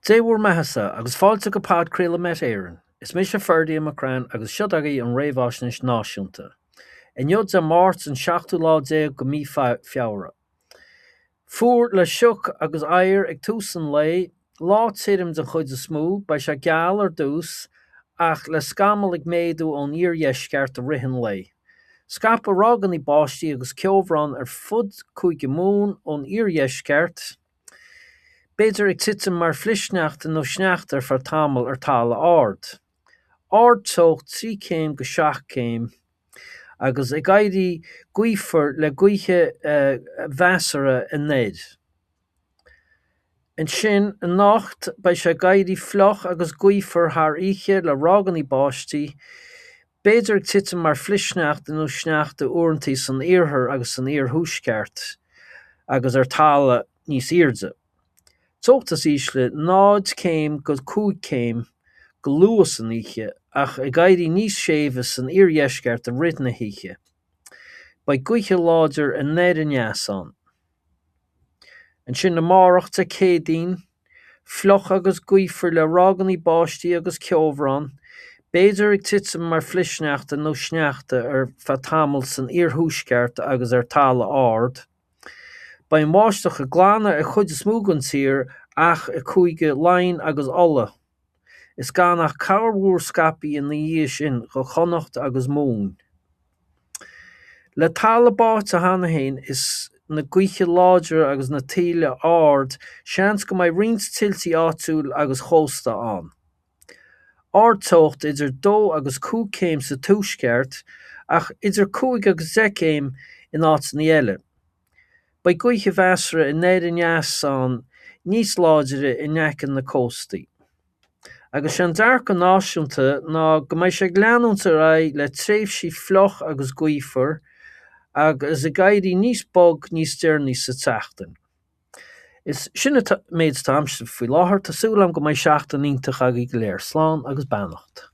Dé bhur mbeathasa agus fáilte go podchraoladh Met Éireann. Is mise Ferdia McCrann agus seo agaibh an réamhaisnéis náisiúnta. Inniu Dé Máirt an seachtú lá déag go mí Feabhra. Fuar le sioc agus oighear ag tús an lae, lá tirim den chuid is mó, beidh sé geal ar dtús ach le scamaill ag méadú ón iardheisceart i rith an lae. Scaipfidh ráigeanna báistí agus ceobhrán ar fud Cúige Mumhan ón iardheisceart, B'fhéidir ag titim mar flichshneachta nó sneachta ar feadh tamaill ar talamh ard. Ardteocht 3 céim go 7 céim agus ag éirí gaofar le gaotha mheasartha anoir. Ansin anocht beidh sé ag éirí fliuch agus gaofar thar oíche le ráigeanna báistí, B'fhéidir ag titim mar flichshneachta nó sneachta uaireanta san iarthar agus san iarthuaisceart agus ar talamh níos airde. Teocht is ísle, 0 céim go 5 céim, go luath san oíche, ach ag éirí níos séimhe san iardheisceart i rith na hoíche. Beidh gaotha láidir anoir aneas ann. Ansin amárach, Dé Céadaoin, fliuch agus gaofar le ráigeanna báistí agus ceobhrán, b'fhéidir ag titim mar flichshneachta nó sneachta ar feadh tamaill san iarthuaisceart agus ar talamh ard. Beidh an bháisteach ag glanadh ar chuid is mó den tír ach i Cúige Laighean agus Uladh, is gan ach corrmhúr scaipthe ina dhiaidh sin go Connacht agus Mumhain. Le talamh báite cheana féin is na gaoithe láidre agus na taoille ard, seans go mbeidh roinnt tuiltí áitiúil agus chósta ann. Ardteocht idir 2 agus 5 céim sa tuaisceart ach idir 5 agus 10 céim in áiteanna eile. Beidh gaotha mheasartha anoir aneas ann níos láidre in aice na cóstaí. Agus sé an dearcadh náisiúnta ná go mbeidh sé ag leanúint ar aghaidh le tréimhsí fliuch agus gaofar agus ag éirí níos bog níos deireanaí sa tseachtain. Is sin an méid atá agamsa faoi láthair. Tá súil agam go mbeidh seachtain iontach agaibh go léir. Slán agus beannacht.